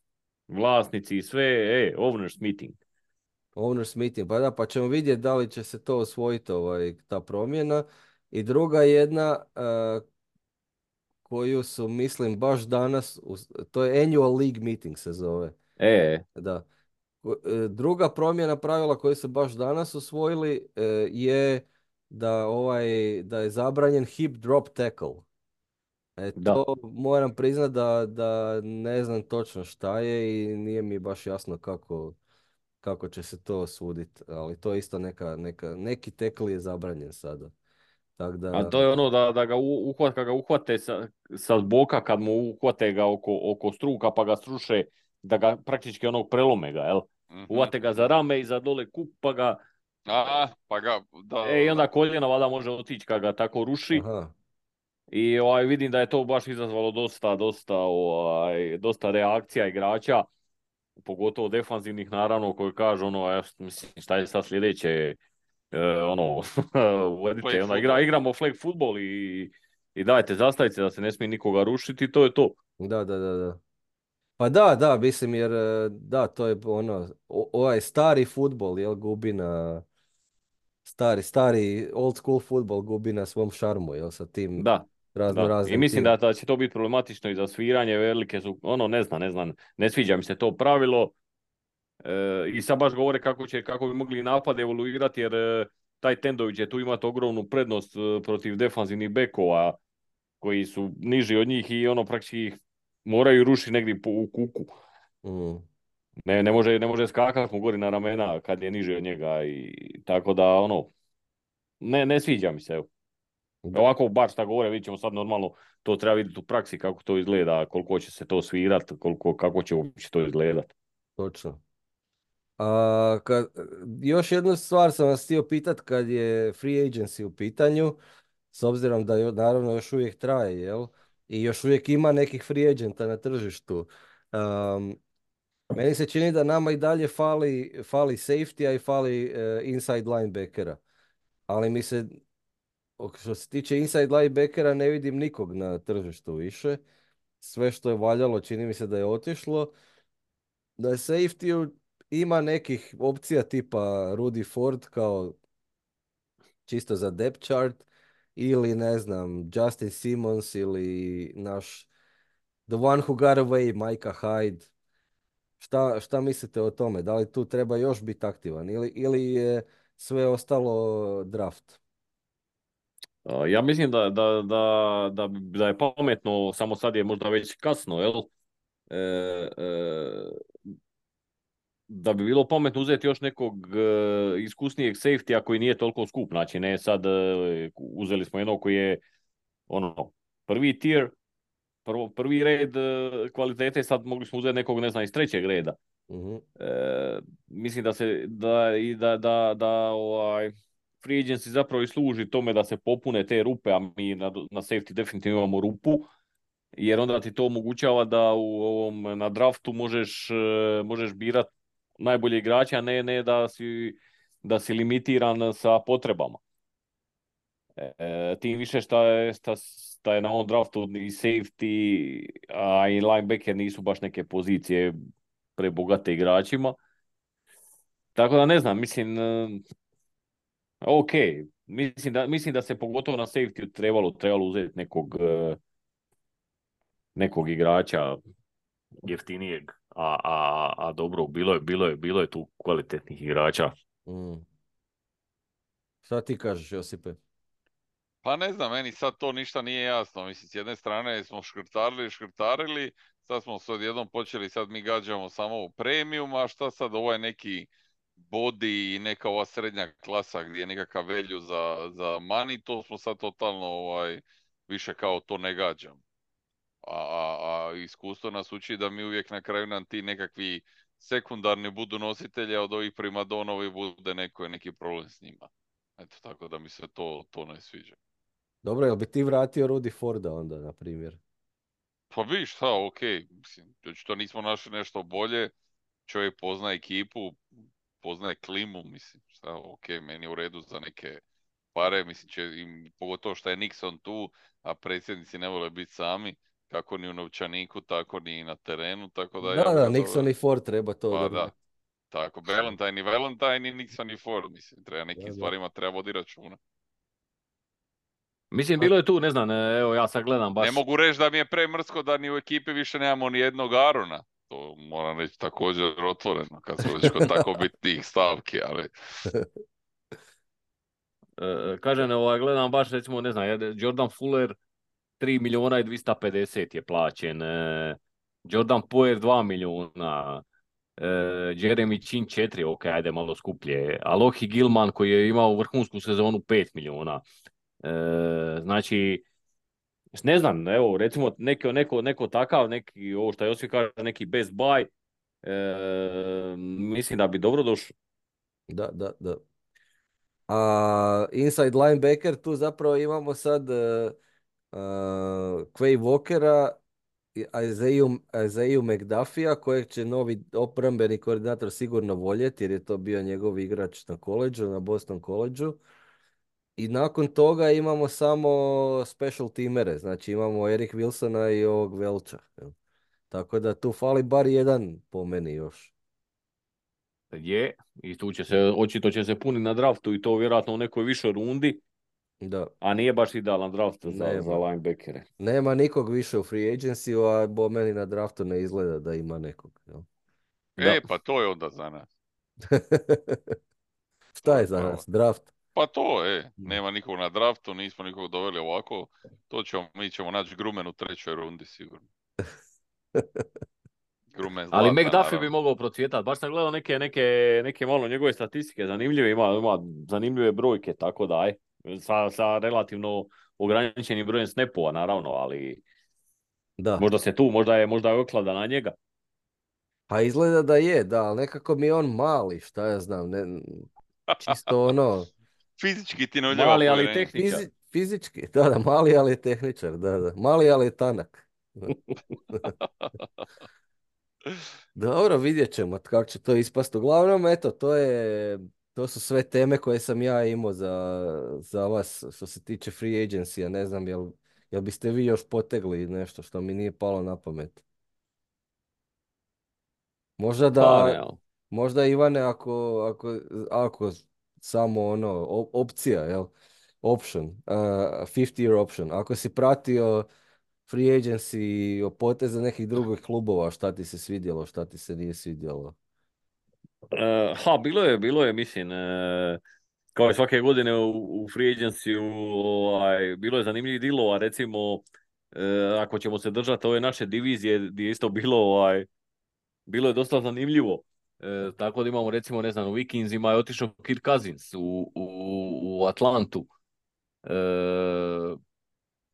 vlasnici i sve, e, owners meeting. Owners meeting, pa da, pa ćemo vidjeti da li će se to osvojiti, ovaj, ta promjena. I druga jedna, eh, koju su, mislim, baš danas, us- to je Annual League Meeting se zove. E, Da. Ko- e, Druga promjena pravila koju su baš danas usvojili e, je da, ovaj, da je zabranjen hip drop tackle. E, to da. moram priznat da, da ne znam točno šta je i nije mi baš jasno kako, kako će se to suditi, ali to je isto neka, neka, neki tackle je zabranjen sada. Tako A da, to je ono da, da ga u- uhvat, kad ga uhvate sa, sa zboka, kad mu uhvate ga oko, oko struka pa ga sruše, da ga praktički onog prelome ga, jel? Mhm, Uhvate ga za mhm. rame i za dole kup pa ga, A, pa ga, da, e, i da, onda da. koljena valjda može otići kad ga tako ruši. aha, I ovaj, vidim da je to baš izazvalo dosta, dosta, ovaj, dosta reakcija igrača. pogotovo defanzivnih naravno koji kažu ono, ja, mislim, šta je sad sljedeće, e, ono, uvedite, Flag onda igra, football. igramo flag futbol i, i dajte zastavice da se ne smije nikoga rušiti i to je to. Da, da, da, da. Pa da, da, mislim jer e, da, to je ono, o- ovaj stari futbol, jel, gubi na, stari, stari old school futbol gubi na svom šarmu, jel, sa tim Da, razno da. I raznim mislim tim. da, da će to biti problematično i za sviranje, velike su, ono, ne znam, ne znam, ne sviđa mi se to pravilo. E, I sad baš govore kako će, kako bi mogli napad evoluirati, jer e, taj Tendović će tu imati ogromnu prednost e, protiv defanzivnih bekova koji su niži od njih i ono praktički ih moraju rušiti negdje po, u kuku. Mm. Ne, ne može, ne može skakati mu gori na ramena kad je niži od njega i tako da ono, ne, ne sviđa mi se. Evo. Da, Ovako baš šta govore, vidit ćemo sad normalno, to treba vidjeti u praksi kako to izgleda, koliko će se to svirat, koliko, kako će uopće to izgledat. točno. A, kad, još jednu stvar sam vas htio pitat kad je free agency u pitanju, s obzirom da jo- naravno još uvijek traje, jel? I još uvijek ima nekih free agenta na tržištu. Um, meni se čini da nama i dalje fali, fali safety-a i fali eh, inside linebackera. Ali mi se, o- što se tiče inside linebackera, ne vidim nikog na tržištu više. Sve što je valjalo čini mi se da je otišlo. Da je safety ima nekih opcija tipa Rudy Ford kao čisto za depth chart ili ne znam Justin Simmons ili naš The One Who Got Away Micah Hyde. Šta, šta mislite o tome? Da li tu treba još biti aktivan ili, ili je sve ostalo draft? A, Ja mislim da, da, da, da, bi- da je pametno, samo sad je možda već kasno, jel? E, e, da bi bilo pametno uzeti još nekog e, iskusnijeg safety-a koji nije toliko skup. Znači, ne sad e, uzeli smo jednog koji je ono, prvi tier, prvo, prvi red e, kvalitete, sad mogli smo uzeti nekog, ne znam, iz trećeg reda. Mhm. E, mislim da se da i da da da ovaj free agency zapravo i služi tome da se popune te rupe, a mi na, na safety definitivno imamo rupu, jer onda ti to omogućava da u ovom na draftu možeš e, možeš birat najbolje igrače, a ne ne da si da si limitiran sa potrebama. E, tim više šta je, šta, šta je na ovom draftu i safety, a i linebacker nisu baš neke pozicije prebogate igračima. Tako da ne znam, mislim, e, ok, mislim da, mislim da se pogotovo na safety trebalo, trebalo uzeti nekog, e, nekog igrača jeftinijeg, a, a, a dobro, bilo je, bilo je, bilo je tu kvalitetnih igrača. Mm. Šta ti kažeš, Josipe? Pa ne znam, meni sad to ništa nije jasno. Mislim, s jedne strane smo škrtarili, škrtarili, sad smo se odjednom počeli, sad mi gađamo samo u premium, a šta sad ovaj neki body i neka ova srednja klasa gdje je nekakav velju za, za money, to smo sad totalno ovaj, više kao to ne gađam. A, a, a iskustvo nas uči da mi uvijek na kraju nam ti nekakvi sekundarni budu nositelji, a od ovih primadonovi bude neko, neki problem s njima. Eto, tako da mi se to, to ne sviđa. Dobro, jel bi ti vratio Rudy Forda onda, na primjer? Pa vi šta, ok, mislim, to nismo našli nešto bolje, čovjek poznaje ekipu, poznaje klimu, mislim, šta, ok, meni je u redu za neke pare, mislim, će, im, pogotovo što je Nixon tu, a predsjednici ne vole biti sami, kako ni u novčaniku, tako ni na terenu, tako da Da, ja bi da, ga dobro, Nixon i Ford treba to pa da, odraditi. tako, Valentine i Valentine i Nixon i Ford, mislim, treba nekim Da, da. stvarima treba vodi računa. Mislim, A, bilo je tu, ne znam, e, evo ja sad gledam Ne baš. mogu reći da mi je premrsko da ni u ekipi više nemamo ni jednog Arona. To moram reći također otvoreno, kad smo već kod tako bitnih stavki, ali E, kažem, ovaj, gledam baš, recimo, ne znam, jedan Jordan Fuller tri milijuna i dvjesto pedeset je plaćen, e, Jordan Poyer dva milijuna, e, Jeremy Chin četiri, ok, ajde malo skuplje, Alohi Gilman koji je imao vrhunsku sezonu pet milijuna. E, znači, ne znam, evo, recimo, neko, neko, neko takav, neki, ovo što Josip kaže, neki best buy, e, mislim da bi dobro došlo. da, da, da. A inside linebacker tu zapravo imamo sad uh, uh, Quay Walkera Isaiah Isaiah McDuffie-a kojeg će novi obrambeni koordinator sigurno voljeti jer je to bio njegov igrač na koledžu, na Boston koledžu. I nakon toga imamo samo special teamere, znači imamo Eric Wilsona i ovog Velča. jel. Tako da tu fali bar jedan po meni još. Je, i tu će se, očito će se puni na draftu i to vjerojatno u nekoj višoj rundi, Da. a nije baš idealan draft za, Nema. za linebackere. Nema nikog više u free agency, a po meni na draftu ne izgleda da ima nekog. jel? Da. E, pa to je onda za nas. Šta je za nas? Draft? Pa to, e, nema nikog na draftu, nismo nikog doveli ovako. To ćemo, mi ćemo naći Grumen u trećoj rundi sigurno. Grumen Ali zlata, McDuffie naravno. bi mogao procvjetati. Baš sam gledao neke, neke, neke malo njegove statistike zanimljive, ima, ima zanimljive brojke, tako da aj, sa, sa relativno ograničenim brojem snapova naravno, ali Da. možda se tu, možda je, možda je oklada na njega. Pa izgleda da je, da, ali nekako mi je on mali, šta ja znam, ne, čisto ono, Fizički ti ne uljeva Mali, ali povjerenje. tehničar. fizi- fizički, da, da, mali, ali je tehničar, da, da, mali, ali je tanak. Dobro, vidjet ćemo kako će to ispast. Uglavnom, eto, to je, to su sve teme koje sam ja imao za, za vas što se tiče free agency-a. Ne znam, jel, jel biste vi još potegli nešto što mi nije palo na pamet? Možda Pa da, ne, ali. možda Ivane, ako, ako, ako samo ono, op- opcija, jel? Option, uh, fifty year option. Ako si pratio free agency poteze nekih drugih klubova, šta ti se svidjelo, šta ti se nije svidjelo? E, ha, bilo je, bilo je, mislim, e, kao i svake godine u, u free agency ovaj, bilo je zanimljivih dilova, recimo, e, ako ćemo se držati ove naše divizije, gdje je isto bilo, ovaj, bilo je dosta zanimljivo. E, tako da imamo, recimo, ne znam, u Vikingsima je otišao Kirk Cousins u, u, u Atlantu. E,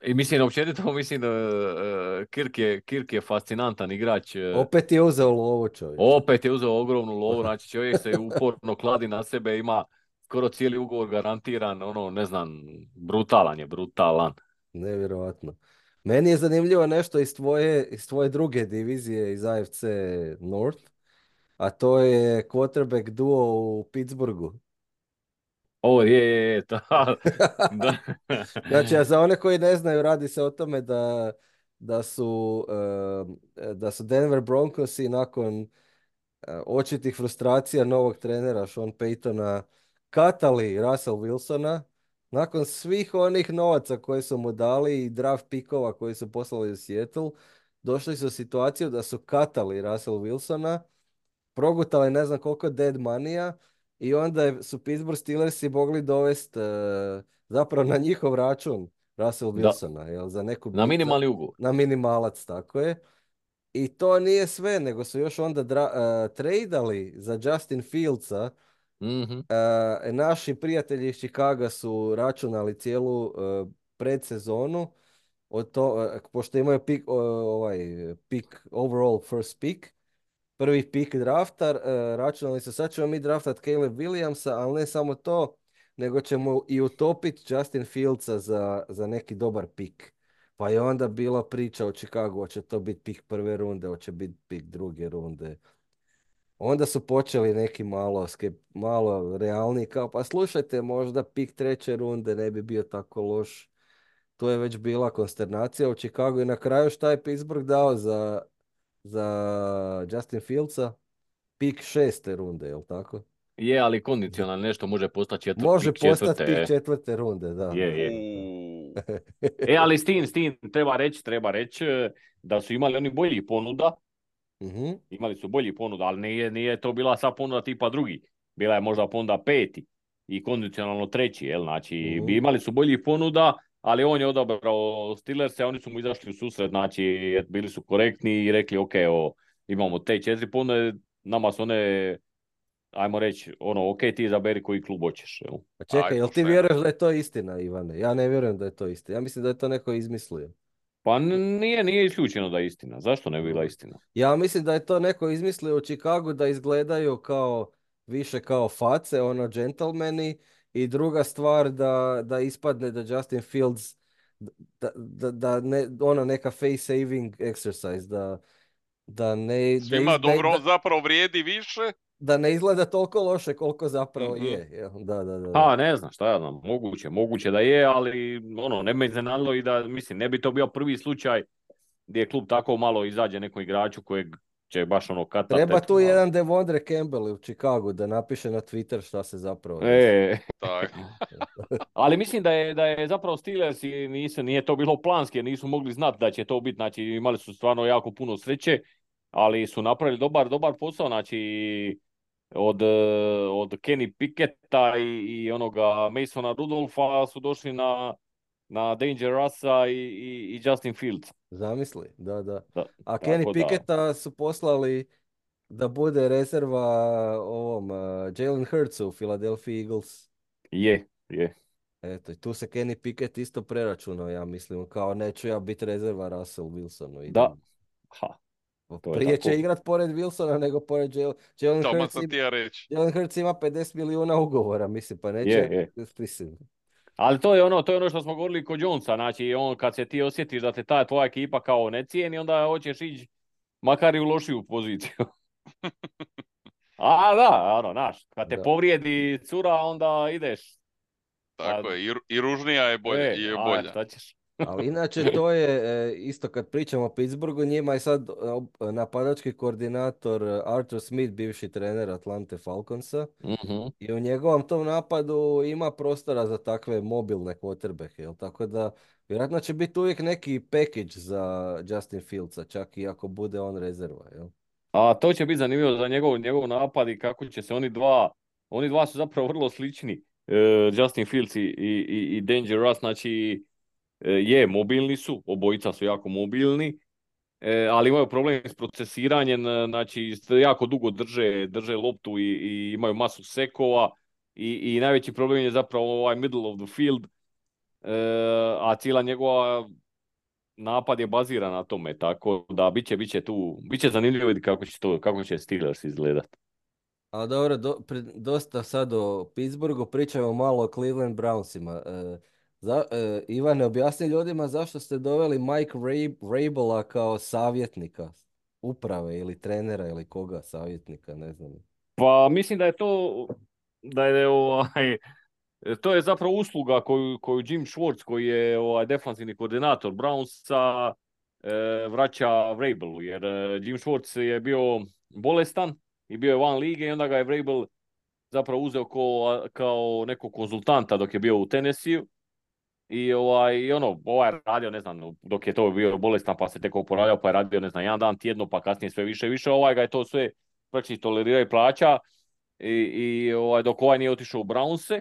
I mislim, općenito, mislim, da e, Kirk je, Kirk je fascinantan igrač. e, Opet je uzeo lovu, čovječ. Opet je uzeo ogromnu lovu, znači čovjek se uporno kladi na sebe, ima skoro cijeli ugovor garantiran, ono, ne znam, brutalan je, brutalan. Nevjerojatno. Meni je zanimljivo nešto iz tvoje, iz tvoje druge divizije, iz A F C North, a to je quarterback duo u Pittsburghu. Ovo je, je, je, ta, da. Znači, a za one koji ne znaju, radi se o tome da, da su, eh, da su Denver Broncosi nakon eh, očitih frustracija novog trenera Sean Paytona katali Russell Wilsona nakon svih onih novaca koje su mu dali i draft pikova koji su poslali u Seattle. Došli su u situaciju da su katali Russell Wilsona, progutali ne znam koliko dead money-a i onda je- su Pittsburgh Steelersi mogli dovesti zapravo na njihov račun Russell Da, Wilsona, jel, za neku na bi- za- minimalni ugovor. na minimalac, tako je. I to nije sve, nego su još onda dra, uh, tradali za Justin Fieldsa. Mhm. Uh, naši prijatelji iz Chicaga su računali cijelu uh, predsezonu od to, uh, pošto imaju pik, uh, ovaj, pik, overall first pick, prvi pik drafta, uh, računali su sad ćemo mi draftat Caleb Williamsa, ali ne samo to, nego ćemo i utopiti Justin Fieldsa za, za neki dobar pik. Pa je onda bila priča o Chicagu, hoće to biti pik prve runde, hoće biti pik druge runde. Onda su počeli neki malo, skep, malo realniji, kao pa slušajte, možda pik treće runde ne bi bio tako loš. To je već bila konsternacija u Chicagu i na kraju šta je Pittsburgh dao za, za Justin Fieldsa? Pik šeste runde, jel tako? Je, ali kondicionalno nešto može postati četvrt, Može pik postati četvrte. pik četvrte runde, da. Je, da, je. Uuu. E, ali s tim, s tim, treba reći, treba reći e, da su imali oni boljih ponuda, Mhm. imali su boljih ponuda, ali nije, nije to bila sva ponuda tipa drugi. Bila je možda ponuda peti i kondicionalno treći, jel? Znači, Mhm. bi imali su boljih ponuda, ali on je odabrao Steelers, oni su mu izašli u susret, znači, bili su korektni i rekli, ok, o, imamo te četiri ponude, nama su one, ajmo reći, ono, ok, ti izaberi koji klub hoćeš, jel? Pa čekaj, Aj, jel ti pošteno. vjeruješ da je to istina, Ivane? Ja ne vjerujem da je to istina. Ja mislim da je to neko izmislio. Pa n- nije, nije isključeno da je istina. Zašto ne bi bila istina? Ja mislim da je to neko izmislio u Chicagu da izgledaju kao više kao face, ono džentlmeni, i druga stvar da, da ispadne da Justin Fields da, da, da ne, ono neka face saving exercise, da, da ne, da, Svima iz- da, dobro, da, on zapravo vrijedi više. da ne izgleda toliko loše koliko zapravo Mhm. je. Jel? Da, da, da, da. Pa ne znam, šta ja znam, moguće, moguće da je, ali ono, ne me iznenadilo i da, mislim, ne bi to bio prvi slučaj gdje je klub tako malo izađe nekom igraču kojeg će baš ono katat, Treba eto, tu da. jedan Devondre Campbell u Chicagu da napiše na Twitter šta se zapravo desi. E, Tako. ali mislim da je, da je zapravo Steelers i nisu, nije to bilo planski jer nisu mogli znati da će to biti, znači imali su stvarno jako puno sreće, ali su napravili dobar, dobar posao, znači od, eh, od Kenny Picketta i, i onoga Masona Rudolfa su došli na, na Danger Russa i, i, i Justin Fields. Zamisli, da, da. Da, A Kenny tako da, Picketta su poslali da bude rezerva ovom uh, Jalen Hurtsu u Philadelphia Eagles. je, je, Eto, i tu se Kenny Pickett isto preračunao, ja mislim, kao neću ja biti rezerva Russell Wilsonu. da, Idem. ha, to je Prije će tako. igrat pored Wilsona nego pored Jalen, Jalen Tamo Hurts. sam ti ja reći. Jalen Hurts ima pedeset milijuna ugovora, mislim, pa Je, neće, je. mislim. Ali to je ono, to je ono što smo govorili kod Jonesa, znači on kad se ti osjetiš da te ta tvoja ekipa kao ne cijeni, onda hoćeš ići makar i u lošiju poziciju. A da, ono, znaš, kad te Da. povrijedi cura, onda ideš. Tako A, je, i, ru- i ružnija je bolja. e, Je a, bolja. šta ćeš? Ali inače to je, e, isto kad pričamo o Pittsburghu, njima je sad e, napadački koordinator e, Arthur Smith, bivši trener Atlante Falconsa. Mhm. I u njegovom tom napadu ima prostora za takve mobilne quarterbacke, jel? Tako da vjerojatno će biti uvijek neki package za Justin Fieldsa, čak i ako bude on rezerva, jel? A to će biti zanimljivo za njegov, njegov napad i kako će se oni dva, oni dva su zapravo vrlo slični, e, Justin Fields i, i, i Danger Russ, znači e, je, mobilni su, obojica su jako mobilni, e, ali imaju problem s procesiranjem, e, znači jako dugo drže, drže loptu i, i imaju masu sekova i, i najveći problem je zapravo ovaj middle of the field, e, a cijela njegova napad je baziran na tome, tako da bit će, bit će tu, bit će zanimljivo vidjeti kako će to, kako će Steelers izgledat. A dobro, do, pri- dosta sad o Pittsburghu, pričamo malo o Cleveland Brownsima. E, za, e, Ivane, objasni ljudima zašto ste doveli Mike Rab- Vrabela kao savjetnika uprave ili trenera ili koga savjetnika, ne znam. Pa mislim da je to, da je ovaj, to je zapravo usluga koju, koju Jim Schwartz, koji je ovaj defanzivni koordinator Brownsa, e, vraća Vrabelu, jer e, Jim Schwartz je bio bolestan i bio je van lige i onda ga je Vrabel zapravo uzeo kao, kao nekog konzultanta dok je bio u Tennessee. I ovaj, i ono, ovaj je radio, ne znam, dok je to bio bolestan pa se tek oporavljao, pa je radio, ne znam, jedan dan tjedno, pa kasnije sve više i više, ovaj ga je to sve praktički tolerirao i plaća. I, i ovaj, dok ovaj nije otišao u Brownse.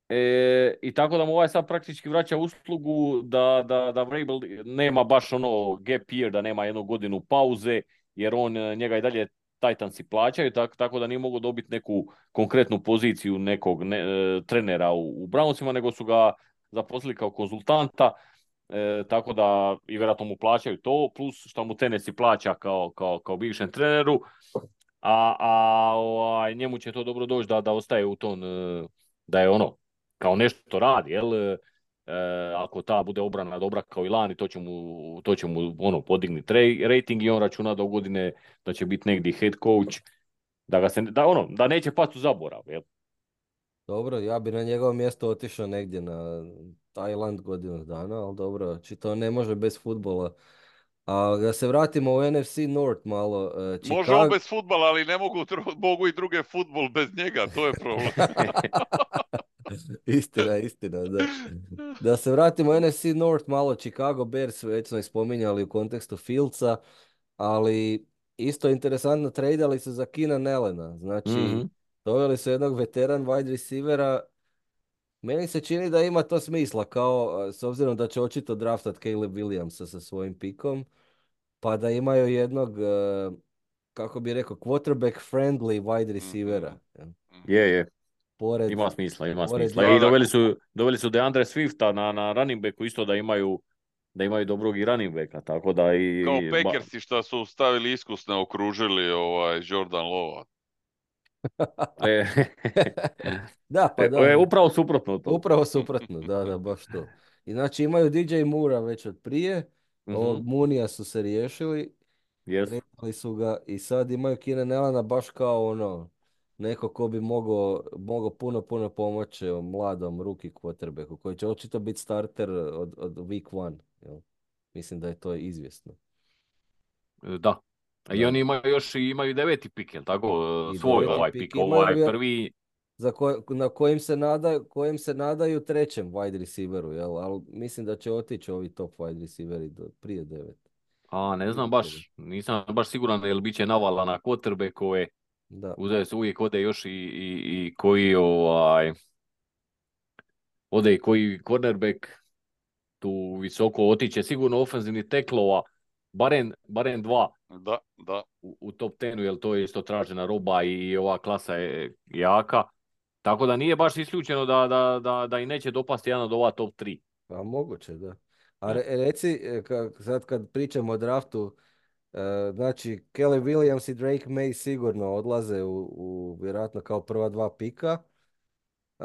E, I tako da mu ovaj sad praktički vraća uslugu da, da, da Vrabel nema baš ono gap year, da nema jednu godinu pauze, jer on njega i dalje Titansi plaćaju, tak, tako da nije mogu dobiti neku konkretnu poziciju nekog ne, e, trenera u, u Brownsima, nego su ga zaposlili kao konzultanta, e, tako da i vjerojatno mu plaćaju to, plus što mu Tennessee plaća kao, kao, kao bivšem treneru, a, a ovaj, njemu će to dobro doći da, da ostaje u tom, e, da je ono, kao nešto radi, jel? E, ako ta bude obrana dobra kao i lani, to će mu, to će mu ono, podignuti rating i on računa do godine da će biti negdje head coach, da, ga se, da, ono, da neće pasti u zaborav, jel? Dobro, ja bi na njegovo mjesto otišao negdje na Tajland godinu dana, ali dobro, či to ne može bez futbola. A da se vratimo u N F C North malo. e, Može on Chicago... bez futbala, ali ne mogu, dru- mogu i druge futbol bez njega, to je problem. Istina, istina, da. Da se vratimo u N F C North malo, Chicago Bears, već smo ih spominjali u kontekstu Fieldsa, ali isto interesantno, tradali su za Keenan Allena, znači Mhm. doveli su jednog veteran wide receivera. Meni se čini da ima to smisla, kao s obzirom da će očito draftat Caleb Williamsa sa svojim pikom, pa da imaju jednog, e, kako bi rekao, quarterback friendly wide receivera. Mhm, jel? mhm. Je, je. Pored, Ima smisla, ima pored smisla. Da, I da, doveli su, doveli su DeAndre Swifta na, na running backu isto da imaju, da imaju dobrog i running backa, tako da i... kao ba- Packersi što su stavili iskusne, okružili ovaj Jordan Lova. e, Da, pa e, da, e, upravo suprotno to. upravo suprotno, da, da, baš to. I znači imaju D J Moora već od prije, Mhm, ovog Moonija su se riješili, jest. tradali su ga i sad imaju Keenan Allena baš kao ono, neko ko bi mogao mogao puno, puno pomoći mladom rookie quarterbacku koji će očito biti starter od, od week one. Jel? Mislim da je to izvjesno. E, Da. I Da. oni imaju još i imaju deveti pik, jel tako? E, I Svoj deveti ovaj pik pik, imaju ovaj vjer- prvi. za koj- na kojim se nadaju, kojim se nadaju trećem wide receiveru, jel? Ali mislim da će otići ovi top wide receiveri do, prije devet. A, ne znam Vidjet ćemo. baš, nisam baš siguran jel bit će navala na quarterbackove. Da. Uzeo se uvijek ode još i, i, i koji ovaj, ode i koji cornerback tu visoko otiće, sigurno ofenzivnih teklova, barem, barem dva Da, da. u, u top tenu, jer to je isto tražena roba i ova klasa je jaka. Tako da nije baš isključeno da, da, da, da i neće dopasti jedan od ova top tri. Pa moguće, da. A Ne. re- reci, e, ka- sad kad pričamo o draftu, e, znači Kelly Williams i Drake May sigurno odlaze u, u vjerojatno kao prva dva pika. E,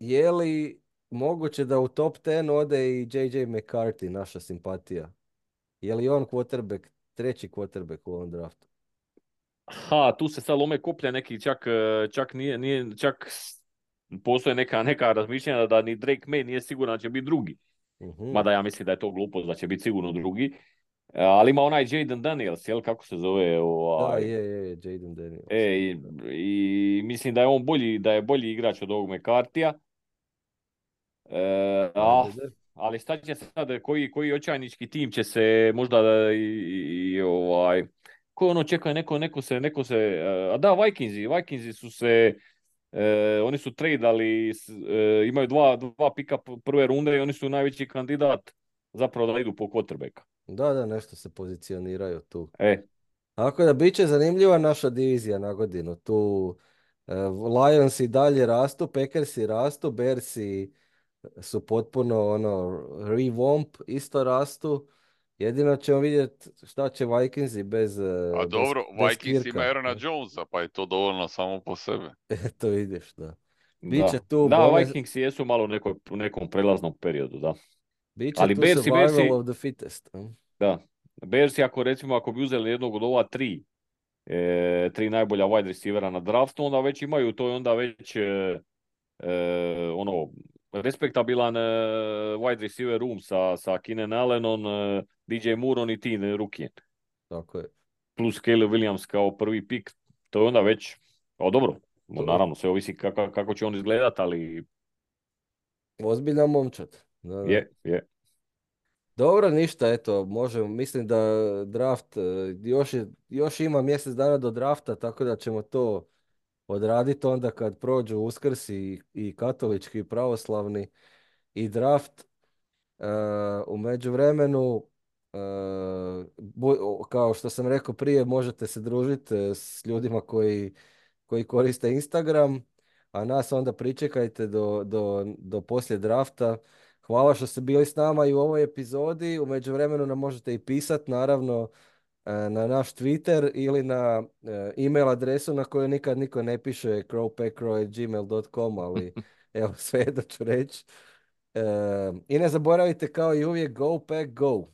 je li moguće da u top deset ode i J J McCarthy, naša simpatija? Je li on quarterback, treći quarterback u ovom draftu? Ha, tu se sad lome koplja neki, čak, e, čak nije, nije, čak s- postoje neka, neka razmišljanja da ni Drake May nije siguran da će biti drugi. Mhm. Mada ja mislim da je to glupost, da će biti sigurno drugi. E, ali ima onaj Jaden Daniels, jel, kako se zove, Da, ovaj, je, je, je, Jaden Daniels. e, i, i mislim da je on bolji, da je bolji igrač od ovog McCartija. E, a, Ajde, da. ali šta će sad, koji, koji očajnički tim će se možda da, i, i, i, ovaj, ko ono čeka, neko, neko se, neko se, e, a da, Vikingsi, Vikingsi su se, e, oni su tradali, s- e, imaju dva, dva pika p- prve runde i oni su najveći kandidat zapravo da idu po quarterbacka. Da, da, nešto se pozicioniraju tu. E, Tako da bit će zanimljiva naša divizija na godinu. Tu e, Lions i dalje rastu, Packersi rastu, Bearsi su potpuno ono revamp, isto rastu. Jedino ćemo vidjeti šta će Vikingsi bez, A e, bez, dobro, bez Vikings ima Kirka. Aarona Jonesa, pa je to dovoljno samo po sebe. To vidiš, da. Biće da. tu Da, bome, Vikingsi jesu malo u nekoj, u nekom prelaznom periodu, da. biće Ali tu Bearsi, survival Bearsi, of the fittest. a? da. Bearsi ako recimo ako bi uzeli jednog od ova tri, e, tri najbolja wide receivera na draftu, onda već imaju, to je onda već e, e, ono, respektabilan e, wide receiver room sa, sa Keenan Allenom, e, D J Moorom i tim rukijem. Tako je. Plus Caleb Williams kao prvi pik, to je onda već, o dobro, To, naravno sve ovisi kako, kako će on izgledat, ali ozbiljan momčad. Da, da. je, je. Dobro, ništa, eto, možemo, mislim da draft, e, još, je, još ima mjesec dana do drafta, tako da ćemo to odraditi onda kad prođu Uskrs i, i katolički i pravoslavni i draft. E, u međuvremenu, e, bu- o- kao što sam rekao prije, možete se družiti e, s ljudima koji, koji koriste Instagram, a nas onda pričekajte do, do, do poslije drafta. Hvala što ste bili s nama i u ovoj epizodi. U međuvremenu nam možete i pisati, naravno, e, na naš Twitter ili na e, email adresu na koju nikad niko ne piše crowpackcrow at gmail dot com, ali evo sve da ću reći. E, I ne zaboravite kao i uvijek, go pack go!